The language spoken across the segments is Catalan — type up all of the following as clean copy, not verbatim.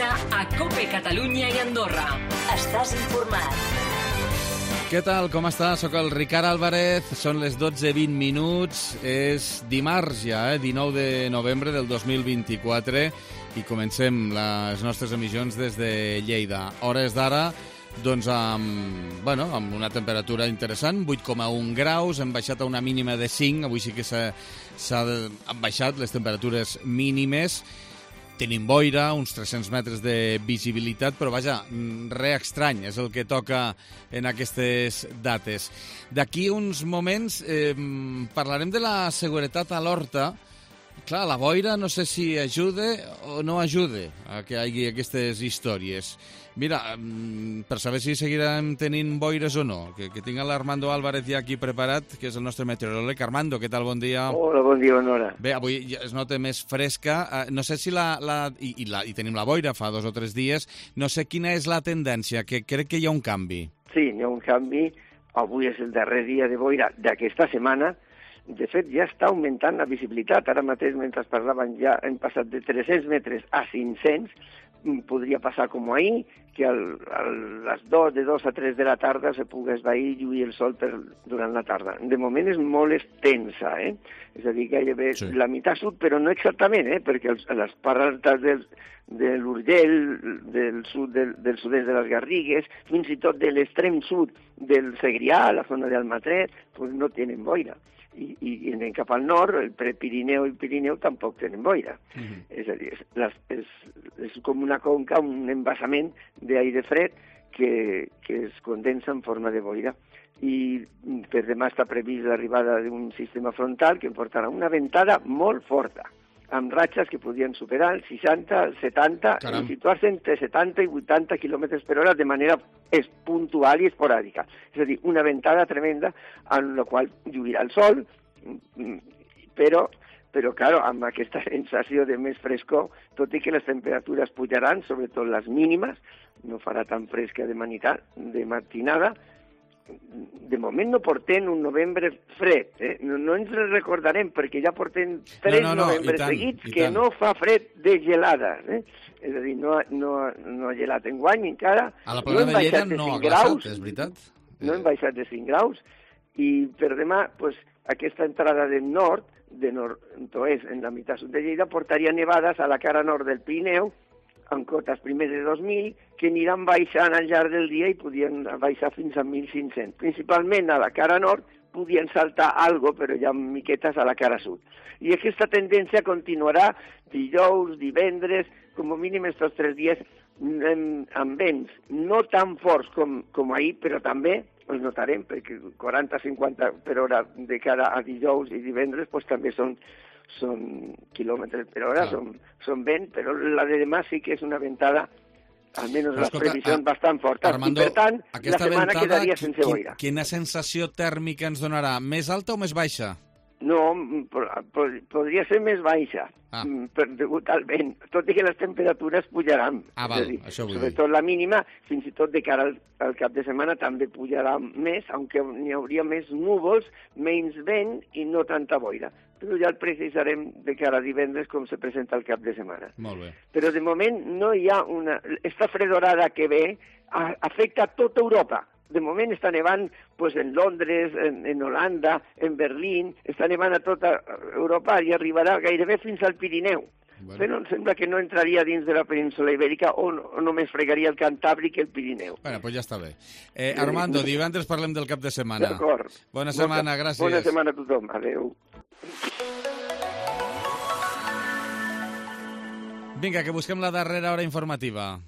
dia a COPE Catalunya i Andorra. Estàs informat. Què tal, com està? Soc el Ricard Álvarez, són les 12:20, és dimarts ja, 19 de novembre del 2024, i comencem les nostres emissions des de Lleida. Hores d'ara, doncs amb una temperatura interessant, 8,1 graus, hem baixat a una mínima de 5, avui sí que han baixat les temperatures mínimes. Tenim boira, uns 300 metres de visibilitat, però vaja, res estrany, és el que toca en aquestes dates. D'aquí uns moments parlarem de la seguretat a l'horta. Clar, la boira no sé si ajuda o no ajuda a que hi hagi aquestes històries. Mira, per saber si seguirem tenint boires o no, que tinc l'Armando Álvarez ja aquí preparat, que és el nostre meteoròleg. Armando, què tal? Bon dia. Hola, bon dia, bona hora. Bé, avui ja es nota més fresca. No sé si i tenim la boira fa 2 o 3 dies. No sé quina és la tendència, que crec que hi ha un canvi. Sí, hi ha un canvi. Avui és el darrer dia de boira d'aquesta setmana. De fet, ja està augmentant la visibilitat. Ara mateix, mentre parlaven, ja hem passat de 300 metres a 500. Podria passar com ahir, que a les 2 a 3 de la tarda se pugui esvair i lluir el sol durant la tarda. De moment és molt extensa, És a dir, gairebé la meitat sud, però no exactament, perquè les parts altes de l'Urgell, del sud-est de les Garrigues, fins i tot de l'extrem sud del Segrià, la zona d'Almatret, doncs no tenen boira. I anem cap al nord, el Prepirineu i el Pirineu tampoc tenen boira. És a dir, és com una conca, un embassament d'aire fred que es condensa en forma de boira. I per demà està previst l'arribada d'un sistema frontal que portarà una ventada molt forta, amb ratxes que podrien superar els 60, els 70, i situar-se entre 70 i 80 km per hora de manera puntual i esporàdica. És a dir, una ventada tremenda en la qual lluirà el sol, però claro, amb aquesta sensació de més frescor, tot i que les temperatures pujaran, sobretot les mínimes, no farà tan fresca de matinada. De moment no portem un novembre fred, no ens recordarem, perquè ja portem 3 novembres seguits que no fa fred de gelades, És a dir, no ha gelat enguany encara. A la plana de Lleida no ha glaçat, és veritat? No hem baixat de 5 graus, i per demà, aquesta entrada del nord, de nord-oest en la meitat sud de Lleida, portaria nevades a la cara nord del Pirineu, amb cotes primer de 2.000, que aniran baixant al llarg del dia i podien baixar fins a 1.500. Principalment a la cara nord podien saltar algo, però ja miquetes a la cara sud. I aquesta tendència continuarà dijous, divendres, com a mínim aquests 3 dies, amb vents no tan forts com ahir, però també els notarem, perquè 40-50 per hora de cara a dijous i divendres també són quilòmetres per hora, són vent, però la de demà sí que és una ventada, almenys les previsions, bastant fortes. Armando, i per tant, la setmana quedaria sense boira. Quina sensació tèrmica ens donarà? Més alta o més baixa? No, podria ser més baixa, degut al vent, tot i que les temperatures pujaran. Això vull dir. Sobretot la mínima, fins i tot de cara al cap de setmana també pujarà més, aunque n'hi hauria més núvols, menys vent i no tanta boira. Però ja el precisarem de cara a divendres com se presenta el cap de setmana. Molt bé. Però de moment no hi ha esta fredorada que ve afecta tota Europa. De moment està nevant en Londres, en Holanda, en Berlín, està nevant a tota Europa i arribarà gairebé fins al Pirineu. Però em sembla que no entraria dins de la península Ibèrica o només fregaria el Cantàbric i el Pirineu. Bueno, doncs ja està bé. Armando, divendres parlem del cap de setmana. D'acord. Bona setmana, gràcies. Bona setmana a tothom. Adéu. Vinga, que busquem la darrera hora informativa.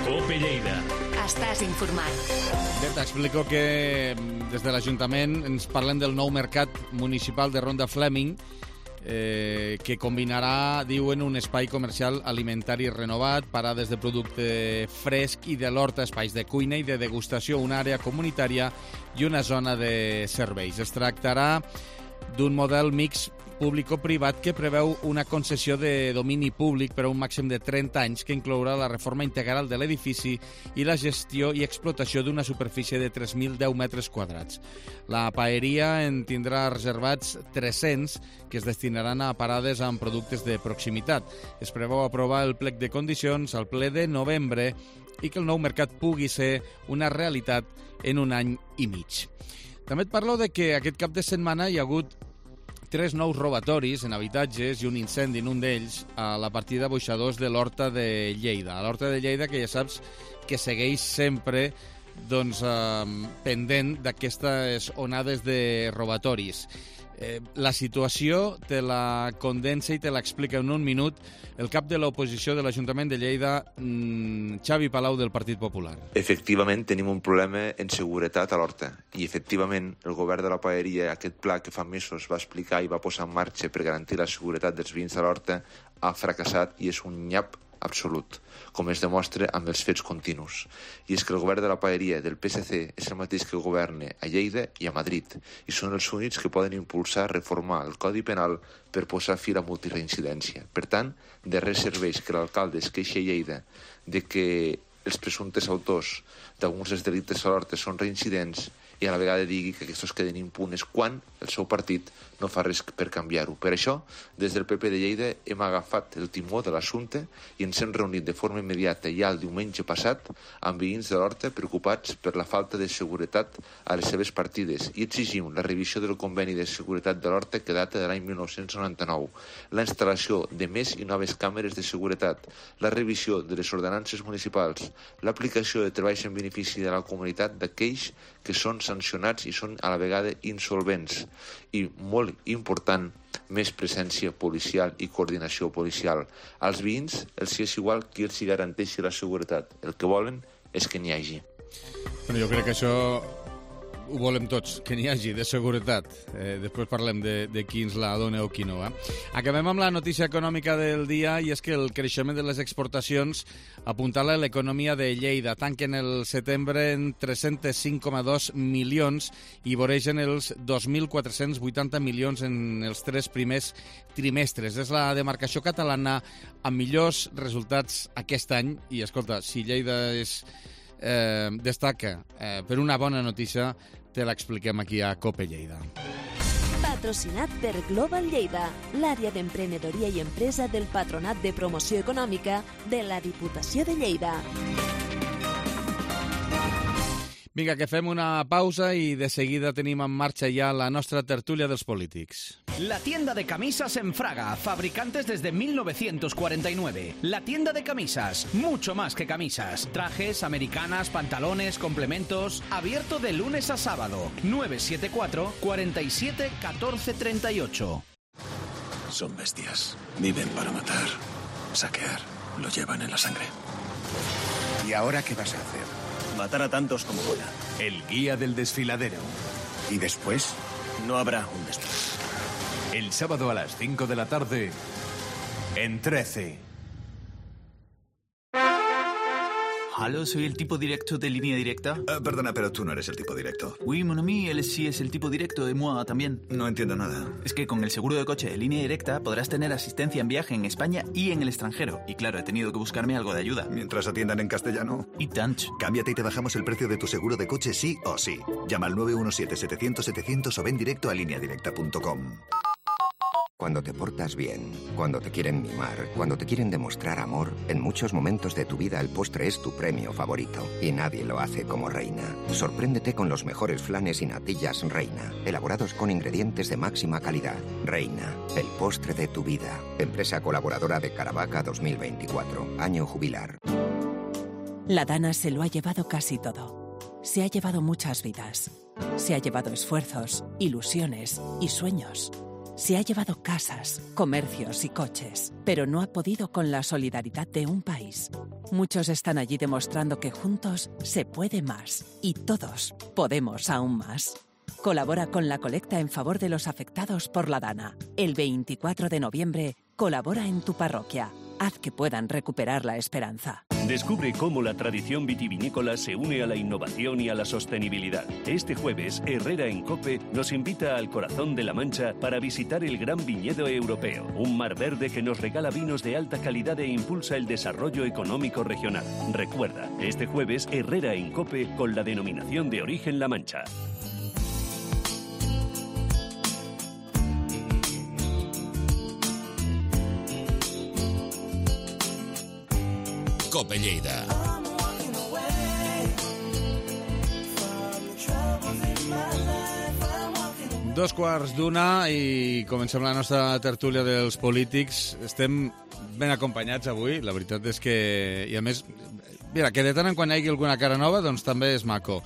COPE Lleida. Estàs informat. Bé, t'explico que des de l'Ajuntament ens parlem del nou mercat municipal de Ronda Fleming, que combinarà, diuen, un espai comercial alimentari renovat, parades de producte fresc i de l'horta, espais de cuina i de degustació, una àrea comunitària i una zona de serveis. Es tractarà d'un model mix público-privat que preveu una concessió de domini públic per a un màxim de 30 anys que inclourà la reforma integral de l'edifici i la gestió i explotació d'una superfície de 3.010 metres quadrats. La paeria en tindrà reservats 300 que es destinaran a parades amb productes de proximitat. Es preveu aprovar el plec de condicions al ple de novembre i que el nou mercat pugui ser una realitat en un any i mig. També et parlo de que aquest cap de setmana hi ha hagut 3 nous robatoris en habitatges i un incendi en un d'ells a la partida Boixadors de l'Horta de Lleida. A l'Horta de Lleida, que ja saps que segueix sempre pendent d'aquestes onades de robatoris. La situació te la condensa i te l'explica en un minut el cap de l'oposició de l'Ajuntament de Lleida, Xavi Palau, del Partit Popular. Efectivament, tenim un problema en seguretat a l'Horta i, efectivament, el govern de la Paeria, aquest pla que fa mesos va explicar i va posar en marxa per garantir la seguretat dels veïns de l'Horta, ha fracassat i és un nyap absolut, com es demostra amb els fets continus. I és que el govern de la Paeria del PSC és el mateix que governa a Lleida i a Madrid, i són els únics que poden impulsar reformar el Codi Penal per posar fi a la multireincidència. Per tant, de res serveix que l'alcalde es queixi a Lleida de que els presumptes autors d'alguns dels delictes a l'Horta són reincidents i a la vegada digui que aquests queden impunes quan el seu partit no fa res per canviar-ho. Per això, des del PP de Lleida hem agafat el timó de l'assumpte i ens hem reunit de forma immediata ja el diumenge passat amb veïns de l'Horta preocupats per la falta de seguretat a les seves partides i exigim la revisió del conveni de seguretat de l'Horta que data de l'any 1999, la instal·lació de més i noves càmeres de seguretat, la revisió de les ordenances municipals, l'aplicació de treballs en benefici de la comunitat d'aquells que són sancionats i són a la vegada insolvents i, molt important, més presència policial i coordinació policial. Als veïns els és igual qui els garanteixi la seguretat. El que volen és que n'hi hagi. Però jo crec que això ho volem tots, que n'hi hagi de seguretat. Després parlem de qui ens la dona o qui no. Acabem amb la notícia econòmica del dia i és que el creixement de les exportacions apuntala l'economia de Lleida. Tanquen el setembre en 305,2 milions i voregen els 2.480 milions en els 3 primers trimestres. És la demarcació catalana amb millors resultats aquest any i, escolta, si Lleida destaca per una bona notícia, te l'expliquem aquí a COPE Lleida. Patrocinat per Global Lleida, l'àrea d'emprenedoria i empresa del Patronat de Promoció Econòmica de la Diputació de Lleida. Vinga, que fem una pausa i de seguida tenim en marxa ja la nostra tertúlia dels polítics. La tienda de camisas en Fraga, fabricantes desde 1949. La tienda de camisas, mucho más que camisas. Trajes, americanas, pantalones, complementos. Abierto de lunes a sábado. 974 47 14 38. Son bestias. Viven para matar, saquear. Lo llevan en la sangre. ¿Y ahora qué vas a hacer? Matar a tantos como pueda. El guía del desfiladero. ¿Y después? No habrá un después. El sábado a las 5 de la tarde, en 13. Hola, soy el tipo directo de Línea Directa. Perdona, pero tú no eres el tipo directo. Oui, mon ami, él sí es el tipo directo de moi también. No entiendo nada. Es que con el seguro de coche de Línea Directa podrás tener asistencia en viaje en España y en el extranjero. Y claro, he tenido que buscarme algo de ayuda. Mientras atiendan en castellano. Y tanto. Cámbiate y te bajamos el precio de tu seguro de coche sí o sí. Llama al 917-700-700 o ven directo a lineadirecta.com. Cuando te portas bien, cuando te quieren mimar, cuando te quieren demostrar amor, en muchos momentos de tu vida el postre es tu premio favorito. Y nadie lo hace como Reina. Sorpréndete con los mejores flanes y natillas Reina, elaborados con ingredientes de máxima calidad. Reina, el postre de tu vida. Empresa colaboradora de Caravaca 2024. Año jubilar. La Dana se lo ha llevado casi todo. Se ha llevado muchas vidas. Se ha llevado esfuerzos, ilusiones y sueños. Se ha llevado casas, comercios y coches, pero no ha podido con la solidaridad de un país. Muchos están allí demostrando que juntos se puede más y todos podemos aún más. Colabora con la colecta en favor de los afectados por la Dana. El 24 de noviembre, colabora en tu parroquia. Haz que puedan recuperar la esperanza. Descubre cómo la tradición vitivinícola se une a la innovación y a la sostenibilidad. Este jueves, Herrera en COPE nos invita al corazón de La Mancha para visitar el Gran Viñedo Europeo, un mar verde que nos regala vinos de alta calidad e impulsa el desarrollo económico regional. Recuerda, este jueves, Herrera en COPE con la denominación de origen La Mancha. COPE Lleida. Dos quarts d'una i comencem la nostra tertúlia dels polítics. Estem ben acompanyats avui, la veritat és que... I a més, mira, que de tant en quan hi hagi alguna cara nova, doncs també és maco.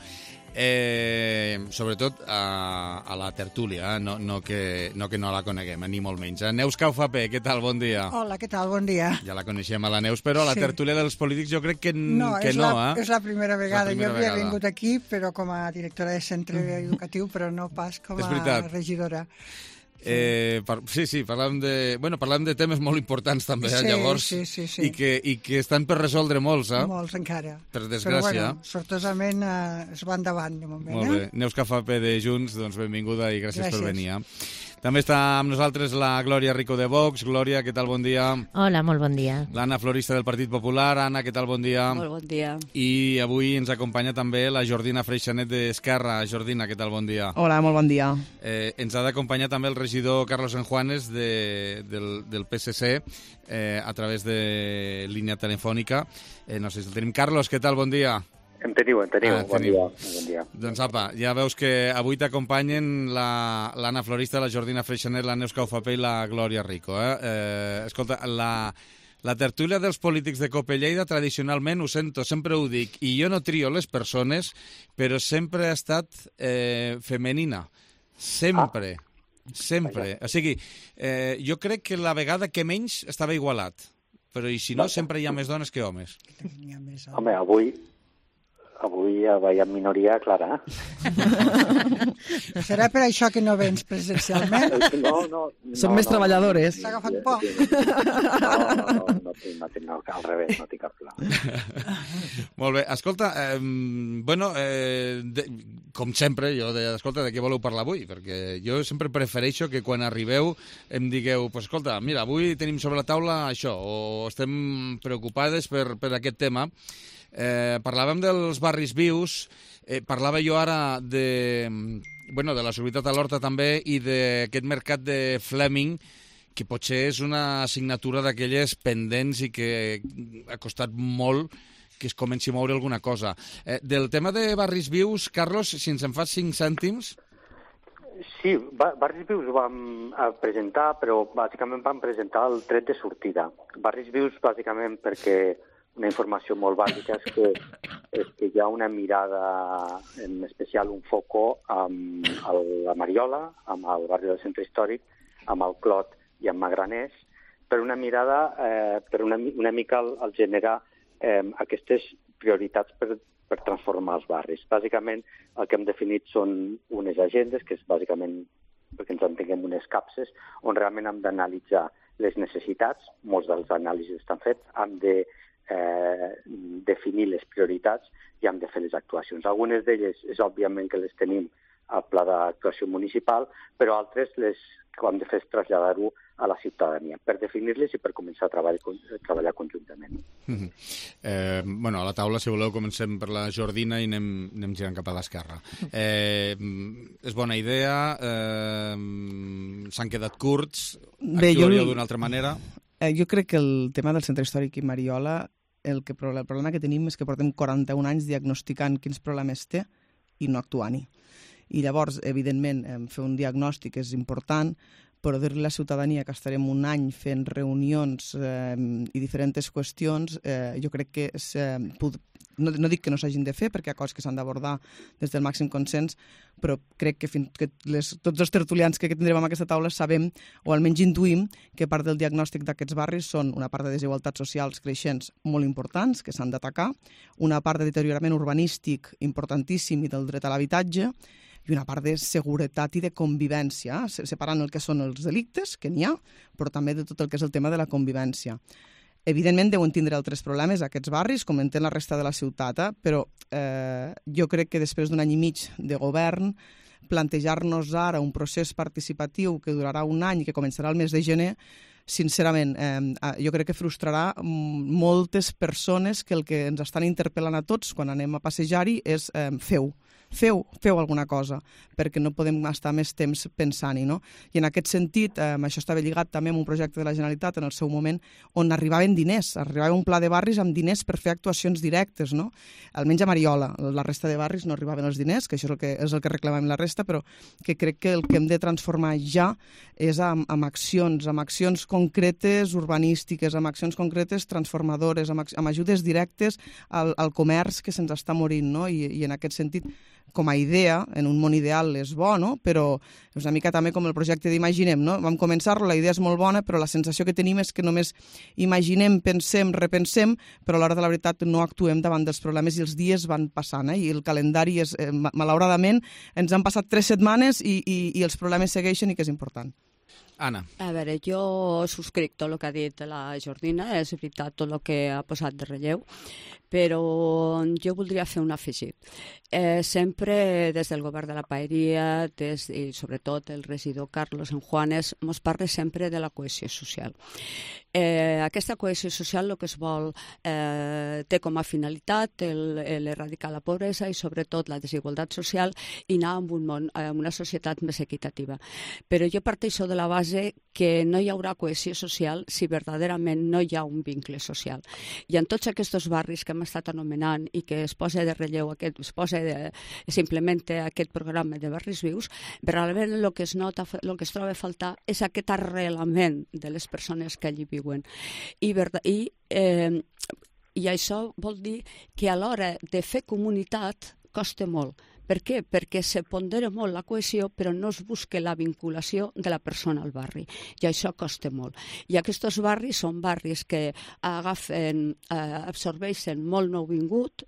Sobretot a la tertúlia, no que no la coneguem, ni molt menys. Neus Caufapé, què tal? Bon dia. Hola, què tal? Bon dia. Ja la coneixem a la Neus, però a la tertúlia dels polítics jo crec que no. És la primera vegada. Jo havia vingut aquí, però com a directora de centre educatiu, però no pas com a regidora. Sí, parlàvem de temes molt importants també, llavors, sí. I que estan per resoldre molts, Molts encara. Per desgràcia. Però, sortosament, es va endavant, de moment. Molt bé. Neus Caufapé de Junts, doncs benvinguda i gràcies per venir. També està amb nosaltres la Glòria Rico de Vox. Glòria, què tal? Bon dia. Hola, molt bon dia. L'Anna Florista del Partit Popular. Anna, què tal? Bon dia. Molt bon dia. I avui ens acompanya també la Jordina Freixanet d'Esquerra. Jordina, què tal? Bon dia. Hola, molt bon dia. Ens ha d'acompanyar també el regidor Carlos Enjuanes del PSC a través de línia telefònica. No sé si el tenim. Carlos, què tal? Bon dia. Em teniu. Bon dia. Doncs apa, ja veus que avui t'acompanyen l'Anna Florista, la Jordina Freixanet, la Neus Caufapé i la Glòria Rico. Escolta, la tertúlia dels polítics de COPE Lleida, tradicionalment, ho sento, sempre ho dic, i jo no trio les persones, però sempre ha estat femenina. Sempre. O sigui, jo crec que la vegada que menys estava igualat, però i si no, sempre hi ha més dones que homes. Home, avui ja veiem minoria clara. Serà per això que no vens presencialment? No. Són més treballadores. S'ha agafat por. No, al revés, no tinc cap pla. Molt bé, escolta, com sempre, jo escolta, de què voleu parlar avui? Perquè jo sempre prefereixo que quan arribeu em digueu, pues escolta, mira, avui tenim sobre la taula això, o estem preocupades per aquest tema. Parlàvem dels barris vius, parlava jo ara de la seguretat a l'Horta també i d'aquest mercat de Fleming, que potser és una assignatura d'aquelles pendents i que ha costat molt que es comenci a moure alguna cosa. Del tema de barris vius, Carlos, si ens en fas 5 cèntims... Sí, Barris Vius ho vam presentar, però bàsicament vam presentar el tret de sortida. Barris Vius bàsicament perquè una informació molt bàsica és que hi ha una mirada, en especial un foco amb la Mariola, amb el barri del centre històric, amb el Clot i amb Magraners, per una mirada, per una mica al generar aquestes prioritats per transformar els barris. Bàsicament, el que hem definit són unes agendes, que és bàsicament, perquè ens entenguem, unes capses, on realment hem d'analitzar les necessitats, molts dels anàlisis estan fets, hem de definir les prioritats i hem de fer les actuacions. Algunes d'elles és òbviament que les tenim al pla d'actuació municipal, però altres les que hem de fer és traslladar-ho a la ciutadania, per definir-les i per començar a treballar conjuntament. A la taula, si voleu, comencem per la Jordina i anem girant cap a l'esquerra. És bona idea, s'han quedat curts, actuaríeu d'una altra manera... Jo crec que el tema del centre històric i Mariola, el problema que tenim és que portem 41 anys diagnosticant quins problemes té i no actuant-hi. I llavors, evidentment, fer un diagnòstic és important, però dir-li a la ciutadania que estarem un any fent reunions i diferents qüestions, jo crec que no dic que no s'hagin de fer, perquè hi ha coses que s'han d'abordar des del màxim consens, però crec que tots els tertulians que tindrem en aquesta taula sabem, o almenys intuïm, que part del diagnòstic d'aquests barris són una part de desigualtats socials creixents molt importants, que s'han d'atacar, una part de deteriorament urbanístic importantíssim i del dret a l'habitatge, i una part de seguretat i de convivència, separant el que són els delictes, que n'hi ha, però també de tot el que és el tema de la convivència. Evidentment deuen tindre altres problemes aquests barris, com en té la resta de la ciutat, però jo crec que després d'un any i mig de govern, plantejar-nos ara un procés participatiu que durarà un any i que començarà el mes de gener, sincerament, jo crec que frustrarà moltes persones que el que ens estan interpel·lant a tots quan anem a passejar-hi és feu alguna cosa, perquè no podem estar més temps pensant-hi, no? I en aquest sentit, això estava lligat també amb un projecte de la Generalitat en el seu moment, on arribaven diners, arribava un pla de barris amb diners per fer actuacions directes, no? Almenys a Mariola, la resta de barris no arribaven els diners, que això és el que reclamem la resta, però que crec que el que hem de transformar ja és amb accions concretes urbanístiques, amb accions concretes transformadores, amb ajudes directes al comerç que se'ns està morint, no? I en aquest sentit, com a idea, en un món ideal és bo, no? Però és una mica també com el projecte d'Imaginem, no? Vam començar-lo, la idea és molt bona, però la sensació que tenim és que només imaginem, pensem, repensem, però a l'hora de la veritat no actuem davant dels problemes i els dies van passant, i el calendari és, malauradament, ens han passat 3 setmanes i els problemes segueixen i que és important. Anna. A veure, jo subscric tot el que ha dit la Jordina, és veritat tot el que ha posat de relleu, però jo voldria fer un afegit. Sempre des del govern de la Paeria i sobretot el regidor Carlos Enjuanes ens parla sempre de la cohesió social. Aquesta cohesió social el que es vol té com a finalitat l'erradicar la pobresa i sobretot la desigualtat social i anar a una societat més equitativa. Però jo parteixo de la base que no hi haurà cohesió social si verdaderament no hi ha un vincle social. I en tots aquests barris que hem estat anomenant i que es posa de relleu, s'implementa aquest programa de barris vius, realment el que es nota, el que es troba a faltar és aquest arrelament de les persones que allí viuen. I això vol dir que a l'hora de fer comunitat costa molt. Per què? Perquè se pondera molt la cohesió, però no es busca la vinculació de la persona al barri. I això costa molt. I aquests barris són barris que absorbeixen molt nouvingut,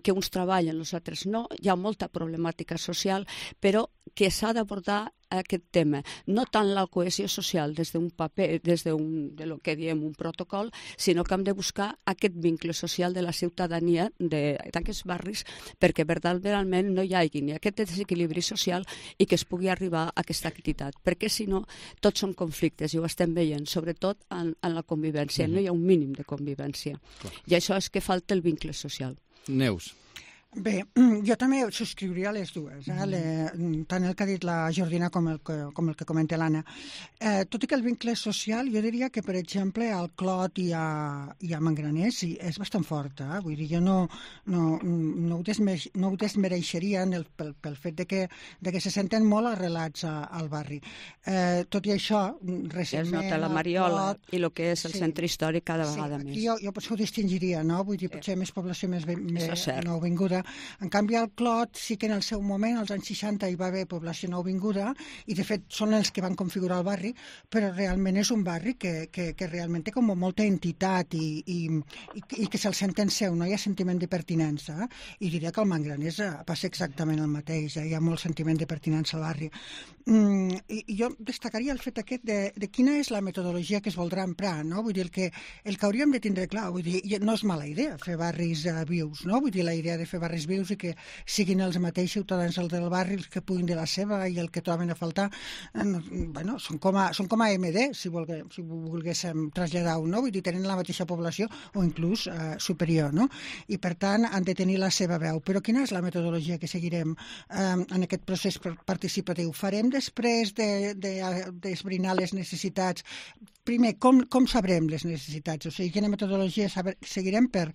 que uns treballen, els altres no. Hi ha molta problemàtica social, però que s'ha d'abordar aquest tema. No tant la cohesió social des d'un paper, des del que diem un protocol, sinó que hem de buscar aquest vincle social de la ciutadania d'aquests barris perquè verdaderament no hi hagi ni aquest desequilibri social i que es pugui arribar a aquesta equitat. Perquè si no, tots són conflictes i ho estem veient, sobretot en la convivència. No hi ha un mínim de convivència. I això és que falta el vincle social. Neus. Bé, jo també subscriuria les dues, tant el que ha dit la Jordina com el que comenta l'Anna. Tot i que el vincle social, jo diria que, per exemple, al Clot i a Manganès és bastant fort. Vull dir, jo no ho desmereixeria pel fet de que se senten molt arrelats al barri. Tot i això, recentment... Es nota la Mariola i el que és el centre històric cada vegada més. Jo potser ho distingiria, no? Vull dir, potser més població més nouvinguda. En canvi, al Clot sí que en el seu moment, als anys 60, hi va haver població nouvinguda i, de fet, són els que van configurar el barri, però realment és un barri que realment té com molta entitat i que se'l senten seu, no hi ha sentiment de pertinença. I diria que al Manganès passa exactament el mateix, hi ha molt sentiment de pertinença al barri. I jo destacaria el fet aquest de quina és la metodologia que es voldrà emprar, no? Vull dir, el que hauríem de tindre clar, vull dir, no és mala idea fer barris vius, no? Vull dir, la idea de fer barris vius i que siguin els mateixos ciutadans del barri els que puguin dir la seva i el que troben a faltar, bueno, són com a MD, si volguéssim traslladar-ho, no? Vull dir, tenen la mateixa població o inclús superior, no? I per tant han de tenir la seva veu. Però quina és la metodologia que seguirem en aquest procés participatiu? Farem després d'esbrinar les necessitats? Primer, com sabrem les necessitats? O sigui, quina metodologia seguirem per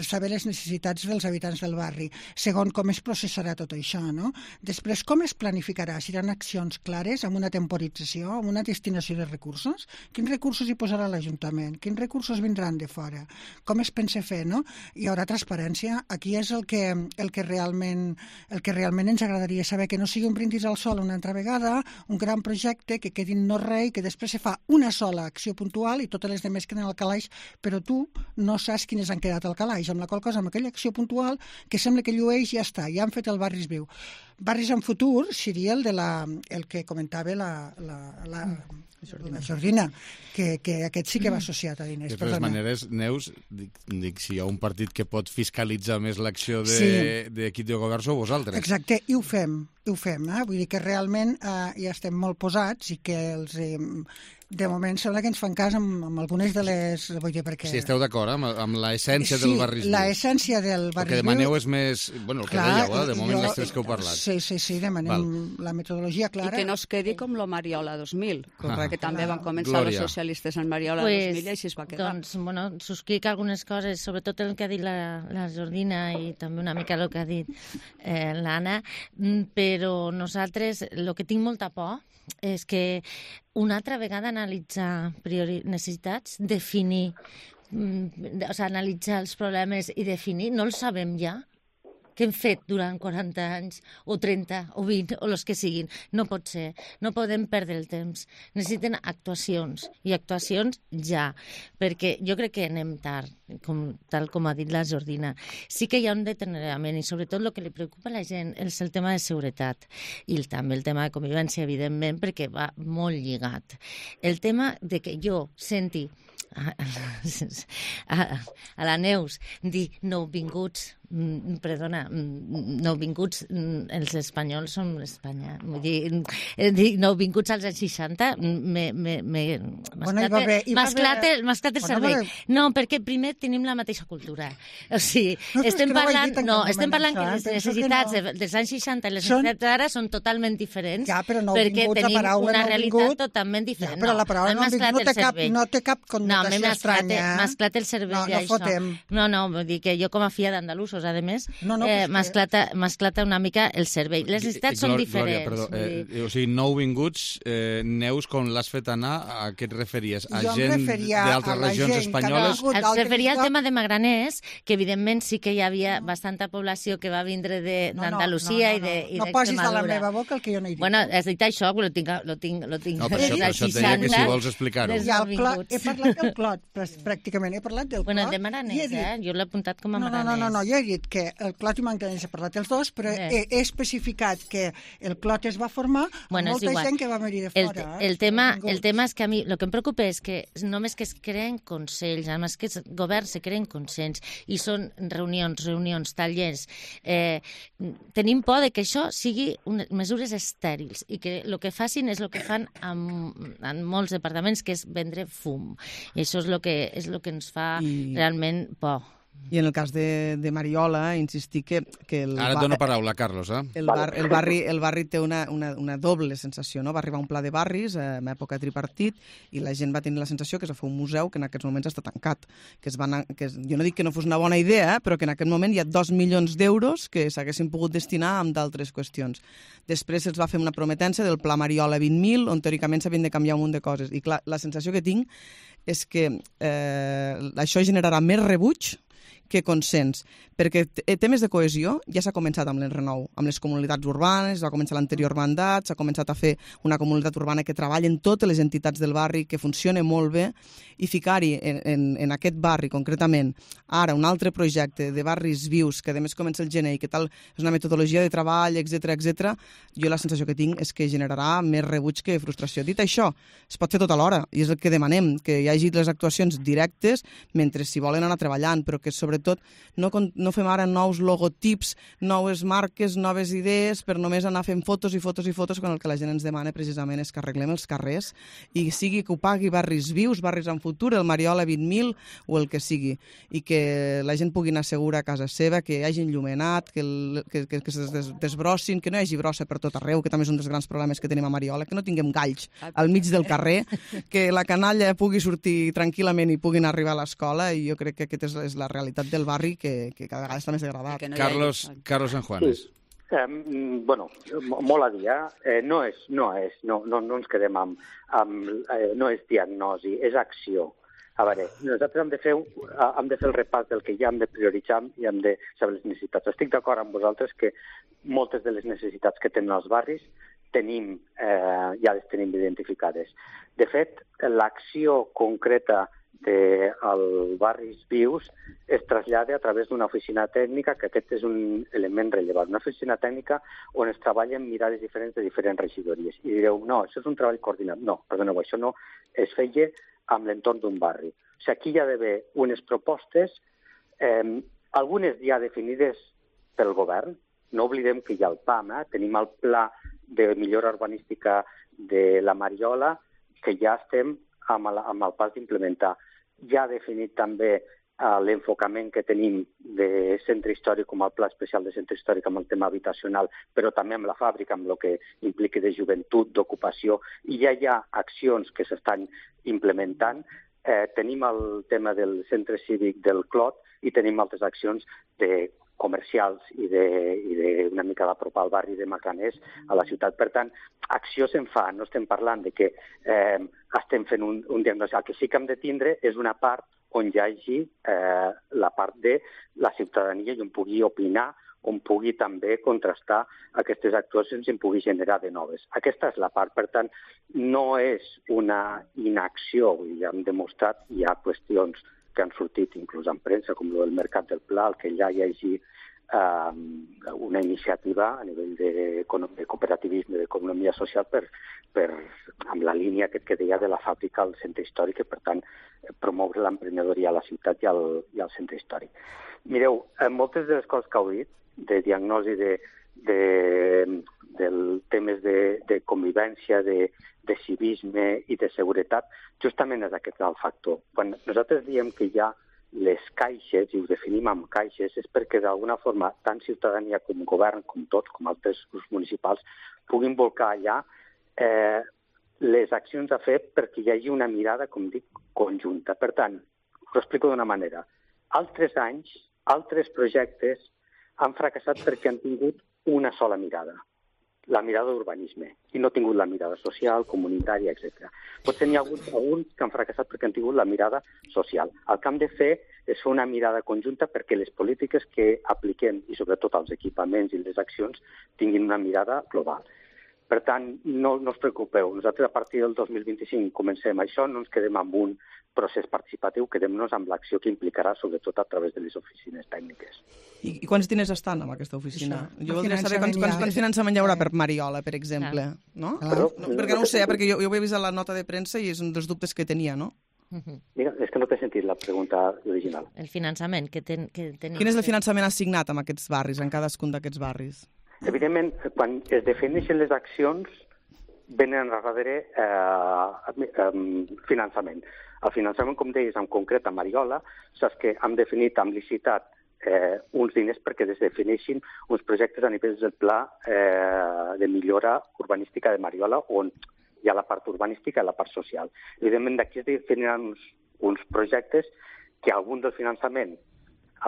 saber les necessitats dels habitants del barri? Segon, com es processarà tot això, no? Després, com es planificarà? Seran accions clares, amb una temporització, amb una destinació de recursos? Quins recursos hi posarà l'Ajuntament? Quins recursos vindran de fora? Com es pensa fer, no? Hi haurà transparència? Aquí és el que realment ens agradaria saber, que no sigui un brindis al sol una altra vegada, un gran projecte que quedi en no res i que després se fa una sola acció puntual i totes les demés queden al calaix, però tu no saps quines han quedat al calaix, amb la qual cosa, amb aquella acció puntual, que sembla que llueix ja està, ja han fet el Barris Viu. Barris en futur seria el que comentava la Jordina, que aquest sí que va associat a diners. De totes maneres, Neus, dic, si hi ha un partit que pot fiscalitzar més l'acció d'equip de govern sou vosaltres. Exacte, i ho fem. Vull dir que realment ja estem molt posats i que de moment sembla que ens fan cas amb algunes de les... Vull dir, perquè... Si esteu d'acord amb l'essència del Barris Viu. Sí, l'essència del Barris Viu. El que demaneu és més... Bueno, el que dèieu, de moment les tres que heu parlat. Sí, demanem la metodologia clara. I que no es quedi com lo Mariola 2000, que també van començar els socialistes en Mariola 2000 i així es va quedar. Doncs, bueno, subscric algunes coses, sobretot el que ha dit la Jordina i també una mica el que ha dit l'Anna, però nosaltres, el que tinc molta por és que una altra vegada analitzar necessitats, definir, analitzar els problemes i definir, no els sabem ja. Què hem fet durant 40 anys, o 30, o 20, o els que siguin. No pot ser. No podem perdre el temps. Necessiten actuacions, i actuacions ja, perquè jo crec que anem tard, tal com ha dit la Jordina. Sí que hi ha un deteriorament, i sobretot el que li preocupa a la gent és el tema de seguretat, i també el tema de convivència, evidentment, perquè va molt lligat. El tema de que jo senti a la Neus dir nouvinguts, nouvinguts, els espanyols som Espanya. Vull dir, nouvinguts als anys 60, m'esclat el cervell. No, perquè primer tenim la mateixa cultura. O sigui, estem parlant que les necessitats dels anys 60 i les necessitats d'ara són totalment diferents, perquè tenim una realitat totalment diferent. Però la paraula nouvingut no té cap connotació estranya. M'ha esclat el cervell, això. No, vull dir que jo com a filla d'andalusos, a més, m'esclata una mica el cervell. Les necessitats són diferents. Glòria, perdó. O sigui, nouvinguts, Neus, com l'has fet anar, a què et referies? A gent d'altres regions espanyoles? Es referia al tema de Magraners, que evidentment sí que hi havia bastanta població que va vindre d'Andalusia i d'Extremadura. No posis a la meva boca el que jo no he dit. Bueno, has dit això, lo tinc no, per això et deia que si vols explicar-ho. He parlat del Clot, pràcticament. He parlat del Clot. Bueno, de Maraners, jo l'he apuntat com a Maraners. No, jo he dit que el Clot i Magraners he parlat dels dos, però he especificat que el Clot es va formar amb molta gent que va venir de fora. El tema és que a mi el que em preocupa és que només que es creen consells, només que els governs se creen consens i són reunions, tallers. Tenim por de que això sigui mesures estèrils i que el que facin és el que fan en molts departaments, que és vendre fum. I això és el que ens fa realment por. I en el cas de Mariola, insistir que Ara et dono paraula, Carlos. El barri té una doble sensació, no? Va arribar un pla de barris en època tripartit i la gent va tenir la sensació que es va fer un museu que en aquests moments està tancat. Jo no dic que no fos una bona idea, però que en aquest moment hi ha 2 milions d'euros que s'haguessin pogut destinar amb d'altres qüestions. Després se'ls va fer una prometència del Pla Mariola 20.000, on teòricament s'havien de canviar un munt de coses. I clar, la sensació que tinc és que això generarà més rebuig que consens, perquè temes de cohesió ja s'ha començat amb l'Enrenou, amb les comunitats urbanes, va començar l'anterior mandat, s'ha començat a fer una comunitat urbana que treballa en totes les entitats del barri, que funciona molt bé, i ficar-hi en aquest barri concretament ara un altre projecte de barris vius, que a més comença el gener i que tal és una metodologia de treball, etc. Jo la sensació que tinc és que generarà més rebuig que frustració. Dit això, es pot fer tot alhora, i és el que demanem, que hi hagi les actuacions directes mentre s'hi volen anar treballant, però que sobretot no fem ara nous logotips, noves marques, noves idees, per només anar fent fotos i fotos i fotos, quan el que la gent ens demana precisament és que arreglem els carrers i sigui que ho pagui Barris Vius, Barris en Futur, el Mariola 20.000 o el que sigui, i que la gent pugui anar segura a casa seva, que hi hagi enllumenat, que es desbrossin, que no hi hagi brossa per tot arreu, que també és un dels grans problemes que tenim a Mariola, que no tinguem galls al mig del carrer, que la canalla pugui sortir tranquil·lament i puguin arribar a l'escola, i jo crec que aquesta és la realitat del barri que cada vegada està més degradat. Carlos San Juanes. Bueno, molt a dir, no ens quedem no és diagnosi, és acció. A veure, nosaltres hem de fer el repàs del que ja hem de prioritzar i hem de saber les necessitats. Estic d'acord amb vosaltres que moltes de les necessitats que tenen els barris ja les tenim identificades. De fet, l'acció concreta dels barris vius es trasllada a través d'una oficina tècnica, que aquest és un element rellevant. Una oficina tècnica on es treballen mirades diferents de diferents regidories. I direu, no, això és un treball coordinat. No, perdoneu, això no es feia amb l'entorn d'un barri. O sigui, aquí hi ha d'haver unes propostes, algunes ja definides pel govern. No oblidem que hi ha el PAM, tenim el Pla de Millora Urbanística de la Mariola, que ja estem amb el pas d'implementar. Ja ha definit també l'enfocament que tenim de centre històric com el Pla Especial de Centre Històric amb el tema habitacional, però també amb la fàbrica, amb el que implica de joventut, d'ocupació, i ja hi ha accions que s'estan implementant. Tenim el tema del centre cívic del Clot i tenim altres accions de comercials i una mica d'apropar el barri de Macraners a la ciutat. Per tant, acció se'n fa, no estem parlant de que estem fent un diagnòstic. El que sí que hem de tindre és una part on hi hagi la part de la ciutadania i on pugui opinar, on pugui també contrastar aquestes actuacions i en pugui generar de noves. Aquesta és la part. Per tant, no és una inacció, ja hem demostrat, hi ha qüestions que han sortit inclús en premsa, com el mercat del Pla, el que ja hi hagi una iniciativa a nivell de cooperativisme, d'economia social, amb la línia que deia de la fàbrica al centre històric, i per tant promoure l'emprenedoria a la ciutat i al centre històric. Mireu, moltes de les coses que heu dit, de diagnosi dels temes de convivència, de civisme i de seguretat, justament és aquest el factor. Quan nosaltres diem que hi ha les caixes, i ho definim amb caixes, és perquè d'alguna forma tant ciutadania com govern, com tots, com altres grups municipals, puguin volcar allà les accions a fer perquè hi hagi una mirada, com dic, conjunta. Per tant, ho explico d'una manera. Altres anys, altres projectes han fracassat perquè han tingut una sola mirada, la mirada d'urbanisme, i no ha tingut la mirada social, comunitària, etc. Potser n'hi ha hagut alguns que han fracassat perquè han tingut la mirada social. El que hem de fer és fer una mirada conjunta perquè les polítiques que apliquem, i sobretot els equipaments i les accions, tinguin una mirada global. Per tant, no us preocupeu. Nosaltres a partir del 2025 comencem això, no ens quedem amb un procés participatiu, quedem-nos amb l'acció que implicarà, sobretot a través de les oficines tècniques. I quants diners estan en aquesta oficina? Jo voldria saber quants finançament hi haurà per Mariola, per exemple. No? Perquè no ho sé, perquè jo he vist la nota de premsa i és un dels dubtes que tenia, no? Mira, és que no t'he sentit la pregunta original. El finançament que tenim. Quin és el finançament assignat en aquests barris, en cadascun d'aquests barris? Evidentment, quan es defineixen les accions, venen a darrere finançament. El finançament, com deies, en concret a Mariola, saps que hem definit, hem licitat uns diners perquè es defineixin uns projectes a nivell del pla de millora urbanística de Mariola, on hi ha la part urbanística i la part social. Evidentment, d'aquí es definiran uns projectes que algun del finançament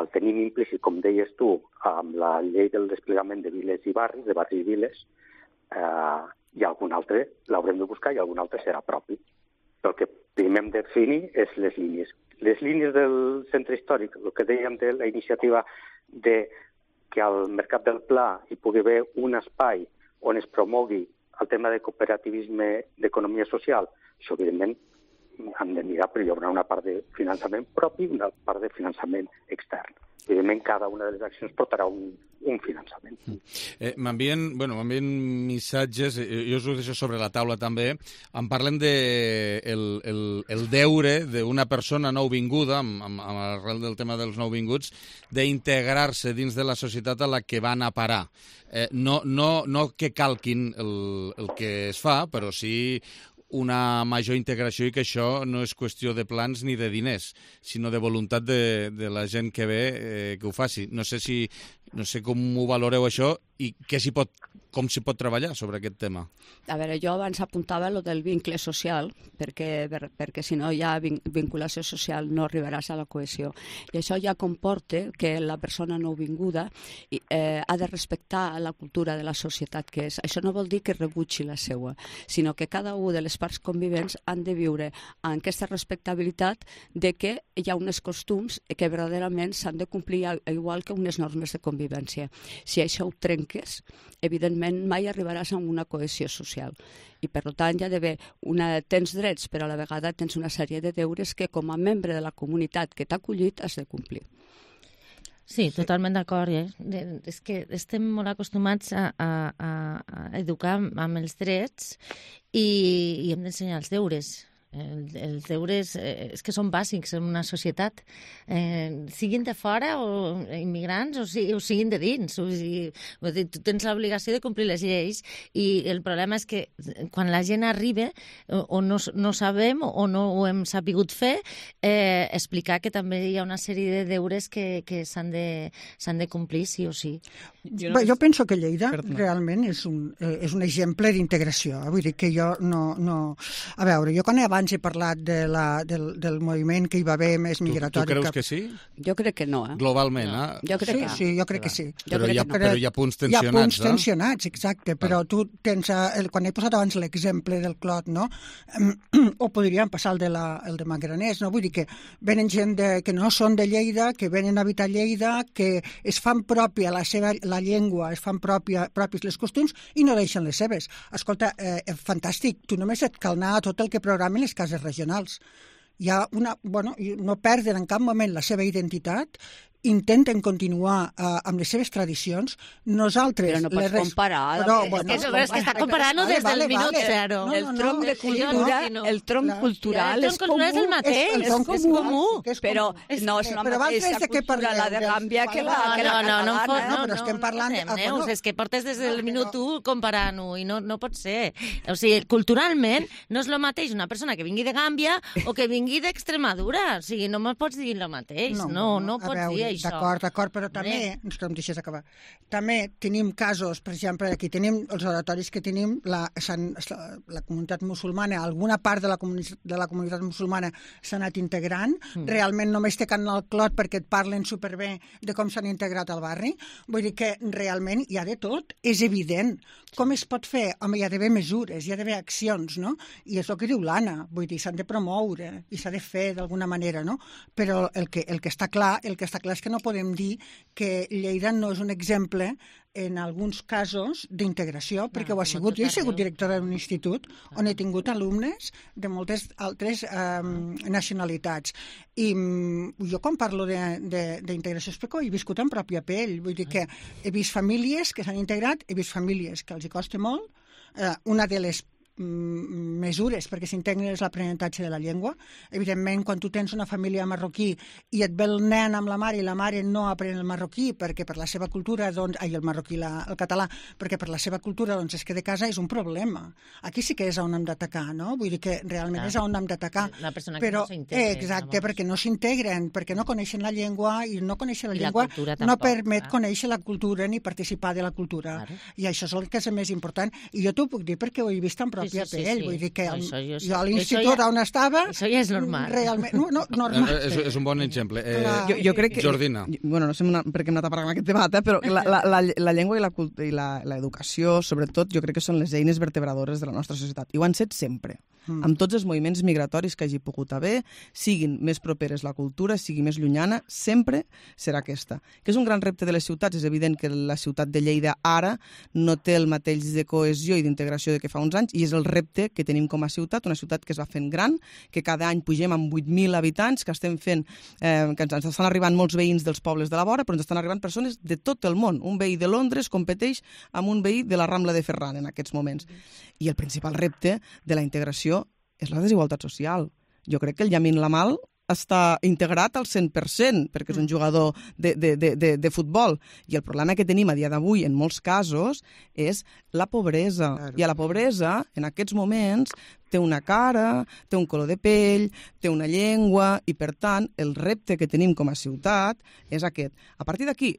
el tenim implícit, com deies tu, amb la llei del desplegament de viles i barris, de barris i viles, i algun altre l'haurem de buscar i algun altre serà propi. El que primer hem de definir és les línies. Les línies del centre històric, el que dèiem de la iniciativa de que al Mercat del Pla hi pugui haver un espai on es promogui el tema de cooperativisme d'economia social, això evidentment hem de mirar, però hi haurà una part de finançament propi i una part de finançament extern. Evidentment, cada una de les accions portarà un finançament. M'envien missatges, jo us ho deixo sobre la taula també, em parlen del deure d'una persona nouvinguda, amb arrel del tema dels nouvinguts, d'integrar-se dins de la societat a la que van a parar. No que calquin el que es fa, però sí una major integració i que això no és qüestió de plans ni de diners, sinó de voluntat de la gent que ve que ho faci. No sé com ho valoreu això i com s'hi pot treballar sobre aquest tema. A veure, jo abans apuntava el del vincle social, perquè si no hi ha vinculació social no arribaràs a la cohesió. I això ja comporta que la persona nouvinguda ha de respectar la cultura de la societat que és. Això no vol dir que rebutgi la seua, sinó que cada una de les parts convivents han de viure amb aquesta respectabilitat de que hi ha uns costums que verdaderament s'han de complir igual que unes normes de convivència. Si això ho trenques, evidentment realment mai arribaràs a una cohesió social. I, per tant, hi ha d'haver tens drets, però a la vegada tens una sèrie de deures que, com a membre de la comunitat que t'ha acollit, has de complir. Sí, totalment d'acord. És que estem molt acostumats a educar amb els drets i hem d'ensenyar els deures. Els deures és que són bàsics en una societat, siguin de fora o immigrants o siguin de dins. Tu tens l'obligació de complir les lleis i el problema és que quan la gent arriba o no sabem o no ho hem sapigut fer, explicar que també hi ha una sèrie de deures que s'han de complir sí o sí. Jo penso que Lleida realment és un exemple d'integració. Vull dir que jo no... A veure, jo quan abans he parlat del moviment que hi va haver més migratori... Tu creus que sí? Jo crec que no, Globalment, Jo crec que sí, jo crec que sí. Però hi ha punts tensionats, Hi ha punts tensionats, exacte, però tu tens... Quan he posat abans l'exemple del Clot, no? O podríem passar el de Magraners, no? Vull dir que venen gent que no són de Lleida, que venen a habitar Lleida, que es fan pròpia la llengua, es fan propis les costums i no deixen les seves. Escolta, fantàstic, tu només et cal anar a tot el que programen les cases regionals. No perden en cap moment la seva identitat, intenten continuar amb les seves tradicions. Nosaltres... Però no pots comparar. És que està comparant-ho des del minut zero. El tronc cultural és comú. És el mateix, és comú. Però no és la mateixa cultura la de Gàmbia que la catalana. Però estem parlant... És que portes des del minut 1 comparant-ho i no pot ser. O sigui, culturalment no és el mateix una persona que vingui de Gàmbia o que vingui d'Extremadura. O sigui, no me pots dir el mateix. No pots dir això. D'acord, però també, no em deixes acabar, també tenim casos, per exemple, aquí tenim els oratoris que tenim, la comunitat musulmana, alguna part de la comunitat musulmana s'ha anat integrant, realment només té que anar al Clot perquè et parlen superbé de com s'han integrat al barri, vull dir que realment hi ha de tot, és evident. Com es pot fer? Home, hi ha d'haver mesures, hi ha d'haver accions, no? I és el que diu l'Anna, vull dir, s'han de promoure i s'ha de fer d'alguna manera, no? Però el que està clar és que no podem dir que Lleida no és un exemple en alguns casos d'integració, perquè ho ha sigut. Jo he sigut directora d'un institut on he tingut alumnes de moltes altres nacionalitats. I jo quan parlo d'integració és perquè ho he viscut en pròpia pell. Vull dir que he vist famílies que s'han integrat, he vist famílies que els hi costa molt. Una de les mesures perquè s'integri és l'aprenentatge de la llengua. Evidentment, quan tu tens una família marroquí i et ve el nen amb la mare i la mare no aprèn el marroquí perquè per la seva cultura, el català, perquè per la seva cultura es queda a casa, és un problema. Aquí sí que és on hem d'atacar, no? Vull dir que realment és on hem d'atacar. La persona que no s'integra. Exacte, perquè no s'integren, perquè no coneixen la llengua i no conèixer la llengua no permet conèixer la cultura ni participar de la cultura. I això és el que és el més important. I jo t'ho puc dir perquè ho he vist en pròpia pell. Vull dir que jo a l'institut on estava... Això ja és normal. Realment, normal. És un bon exemple. Jo crec que... Jordina. Bueno, no sé per què hem anat a parlar en aquest debat, però la llengua i l'educació, sobretot, jo crec que són les eines vertebradores de la nostra societat. I ho han set sempre. Amb tots els moviments migratoris que hagi pogut haver, siguin més properes la cultura, sigui més llunyana, sempre serà aquesta. Que és un gran repte de les ciutats. És evident que la ciutat de Lleida ara no té el mateix de cohesió i d'integració de que fa uns anys, i és el repte que tenim com a ciutat, una ciutat que es va fent gran, que cada any pugem amb 8.000 habitants, que estem fent, que ens estan arribant molts veïns dels pobles de la vora, però ens estan arribant persones de tot el món. Un veí de Londres competeix amb un veí de la Rambla de Ferran en aquests moments. I el principal repte de la integració és la desigualtat social. Jo crec que el Yamin Lamal està integrat al 100%, perquè és un jugador de futbol. I el problema que tenim a dia d'avui, en molts casos, és la pobresa. I a la pobresa, en aquests moments, té una cara, té un color de pell, té una llengua, i, per tant, el repte que tenim com a ciutat és aquest. A partir d'aquí,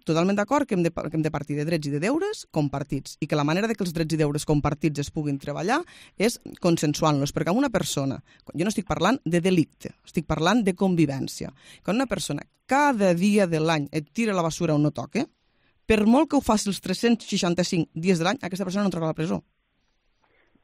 totalment d'acord que hem de partir de drets i de deures compartits, i que la manera de que els drets i deures compartits es puguin treballar és consensuant-los, perquè amb una persona, jo no estic parlant de delicte, estic parlant de convivència. Quan una persona cada dia de l'any et tira la basura on no toca, per molt que ho faci els 365 dies de l'any, aquesta persona no entrarà a la presó.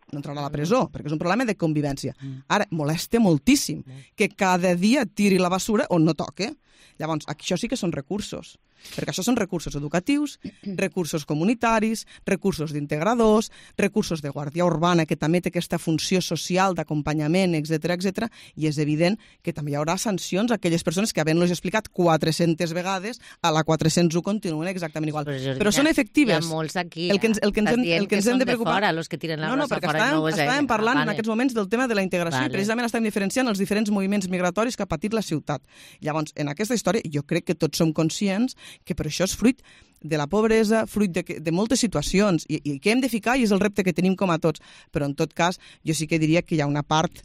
No entrarà a la presó, perquè és un problema de convivència. Ara, molesta moltíssim que cada dia tiri la basura on no toca. Llavors, això sí que són recursos. perquè això són recursos educatius, recursos comunitaris, recursos d'integradors, recursos de guàrdia urbana, que també té aquesta funció social d'acompanyament, etc, i és evident que també hi haurà sancions a aquelles persones que, havent-los explicat 400 vegades, a la 401 continuen exactament igual. Però són efectives. Hi ha molts aquí, el que ens hem de preocupar... fora, los que tiren la no, perquè estàvem parlant en aquests moments del tema de la integració i precisament estem diferenciant els diferents moviments migratoris que ha patit la ciutat. Llavors, en aquesta història, jo crec que tots som conscients que per això és fruit de la pobresa, fruit de moltes situacions, i que hem de ficar, i és el repte que tenim com a tots. Però, en tot cas, jo sí que diria que hi ha una part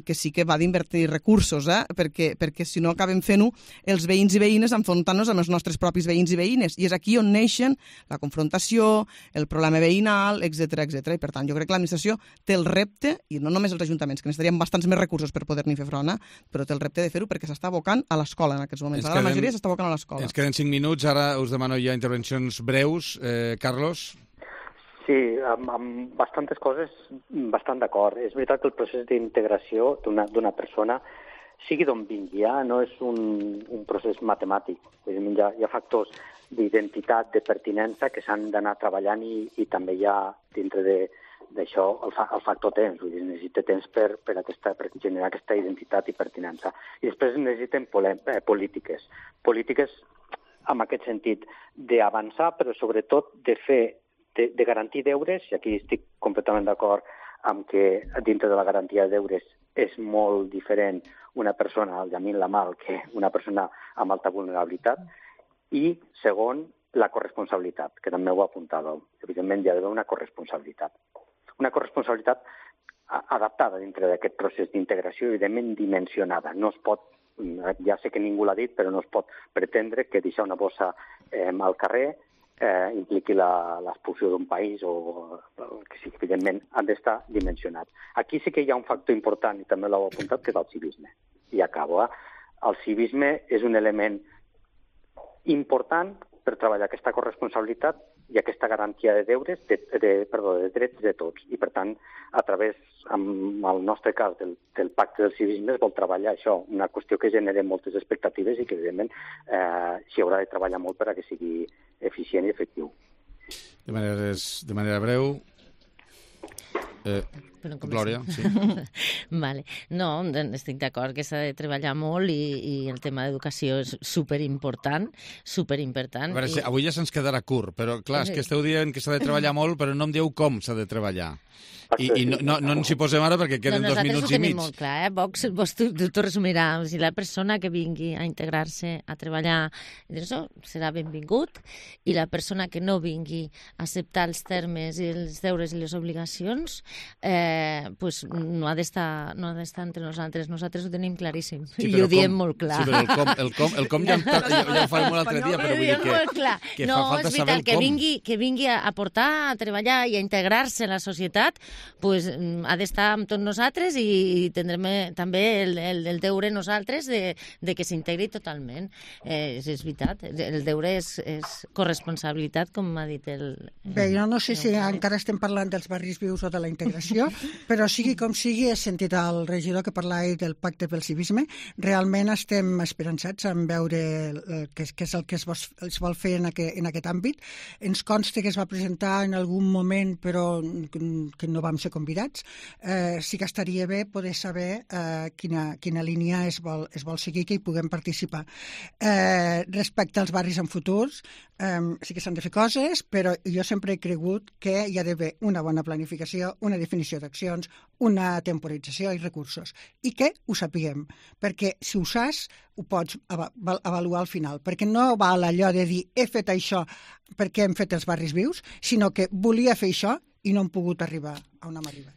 que sí que va d'invertir recursos, perquè si no acabem fent-ho els veïns i veïnes enfrontant-nos amb els nostres propis veïns i veïnes. I és aquí on neixen la confrontació, el problema veïnal, etc. I, per tant, jo crec que l'administració té el repte, i no només els ajuntaments, que necessitaríem bastants més recursos per poder-n'hi fer front, però té el repte de fer-ho perquè s'està abocant a l'escola en aquests moments. La majoria s'està abocant a l'escola. Ens queden 5 minuts, ara us demano ja intervencions breus. Carlos? Sí, amb bastantes coses bastant d'acord. És veritat que el procés d'integració d'una persona, sigui d'on vingui, no és un procés matemàtic. Hi ha factors d'identitat, de pertinença que s'han d'anar treballant i també hi ha dintre d'això el factor temps. Vull dir, necessita temps per generar aquesta identitat i pertinença. I després necessiten polítiques. Polítiques en aquest sentit d'avançar, però sobretot de garantir deures, i aquí estic completament d'acord amb que dintre de la garantia de deures és molt diferent una persona al Yamin Lamal que una persona amb alta vulnerabilitat, i segon, la corresponsabilitat, que també ho apuntàveu. Evidentment hi ha d'haver una corresponsabilitat. Una corresponsabilitat adaptada dintre d'aquest procés d'integració, evidentment dimensionada. No es pot, ja sé que ningú l'ha dit, però no es pot pretendre que deixar una bossa al carrer impliqui l'expulsió d'un país o que sí, evidentment han d'estar dimensionats. Aquí sí que hi ha un factor important, i també l'heu apuntat, que és el civisme. I acabo. El civisme és un element important per treballar aquesta corresponsabilitat i aquesta garantia de deures, de drets de tots. I, per tant, a través, en el nostre cas, del pacte del civisme, es vol treballar això, una qüestió que genera moltes expectatives i que, evidentment, s'hi haurà de treballar molt perquè sigui eficient i efectiu. De manera breu... Glòria, sí. Vale. No, estic d'acord que s'ha de treballar molt i el tema d'educació és superimportant. A veure, avui ja se'ns quedarà curt, però clar, és que esteu dient que s'ha de treballar molt, però no em dieu com s'ha de treballar. I no ens hi posem ara perquè queden 2 minuts i mig. Nosaltres ho tenim molt clar, Vox t'ho resumirà. O sigui, la persona que vingui a integrar-se, a treballar, això serà benvingut, i la persona que no vingui a acceptar els termes i els deures i les obligacions, pues no ha d'estar entre nosaltres. Nosaltres ho tenim claríssim. Sí, i ho diem molt clar. Sí, però el com ja ho farem un altre dia, però vull dir que fa falta saber el com. Que vingui a aportar, a treballar i a integrar-se en la societat, pues ha d'estar amb tots nosaltres i tindrem també el deure nosaltres de que s'integri totalment. És veritat, el deure és corresponsabilitat, com m'ha dit el... Bé, jo no sé si encara estem parlant dels barris vius o de la integració, però sigui com sigui, he sentit el regidor que parlava del pacte pel civisme. Realment estem esperançats en veure què és el que es vol fer en aquest àmbit. Ens consta que es va presentar en algun moment, però que no vam ser convidats. Sí que estaria bé poder saber quina línia es vol seguir, que hi puguem participar. Respecte als barris en futurs, sí que s'han de fer coses, però jo sempre he cregut que hi ha d'haver una bona planificació, una definició d'accions, una temporització i recursos, i que ho sapiguem, perquè si ho saps ho pots avaluar al final, perquè no val allò de dir he fet això perquè hem fet els barris vius, sinó que volia fer això i no hem pogut arribar a on hem arribat.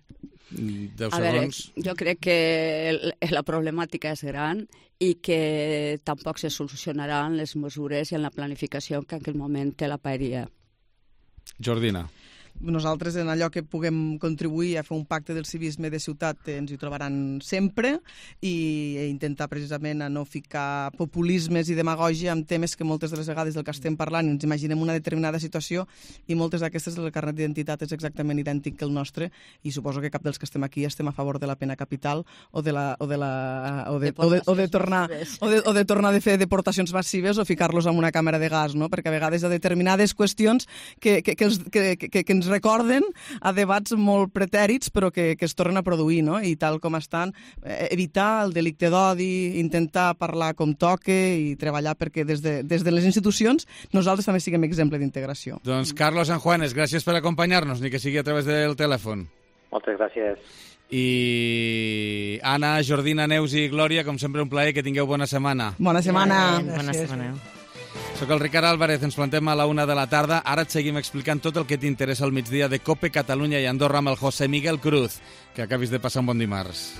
10 segons. A veure, jo crec que la problemàtica és gran i que tampoc se solucionaran les mesures i en la planificació que en aquell moment té la paeria. Jordina. nosaltres en allò que puguem contribuir a fer un pacte del civisme de ciutat ens hi trobaran sempre i intentar precisament a no ficar populismes i demagògia amb temes que moltes de les vegades del que estem parlant ens imaginem una determinada situació i moltes d'aquestes el carnet d'identitat és exactament idèntic que el nostre i suposo que cap dels que estem aquí estem a favor de la pena capital o de tornar a fer deportacions massives o ficar-los en una càmera de gas, no? Perquè a vegades hi ha determinades qüestions que ens recorden a debats molt pretèrits però que es tornen a produir, no? I tal com estan, evitar el delicte d'odi, intentar parlar com toque i treballar perquè des de les institucions nosaltres també siguem exemple d'integració. Doncs Carlos Sanjuanes, gràcies per acompanyar-nos, ni que sigui a través del telèfon. Moltes gràcies. I Anna, Jordina, Neus i Glòria, com sempre un plaer, que tingueu bona setmana. Bona setmana. Bona setmana. Soc el Ricard Álvarez, ens plantem a la 1 de la tarda. Ara et seguim explicant tot el que t'interessa al migdia de COPE Catalunya i Andorra amb el José Miguel Cruz. Que acabis de passar un bon dimarts.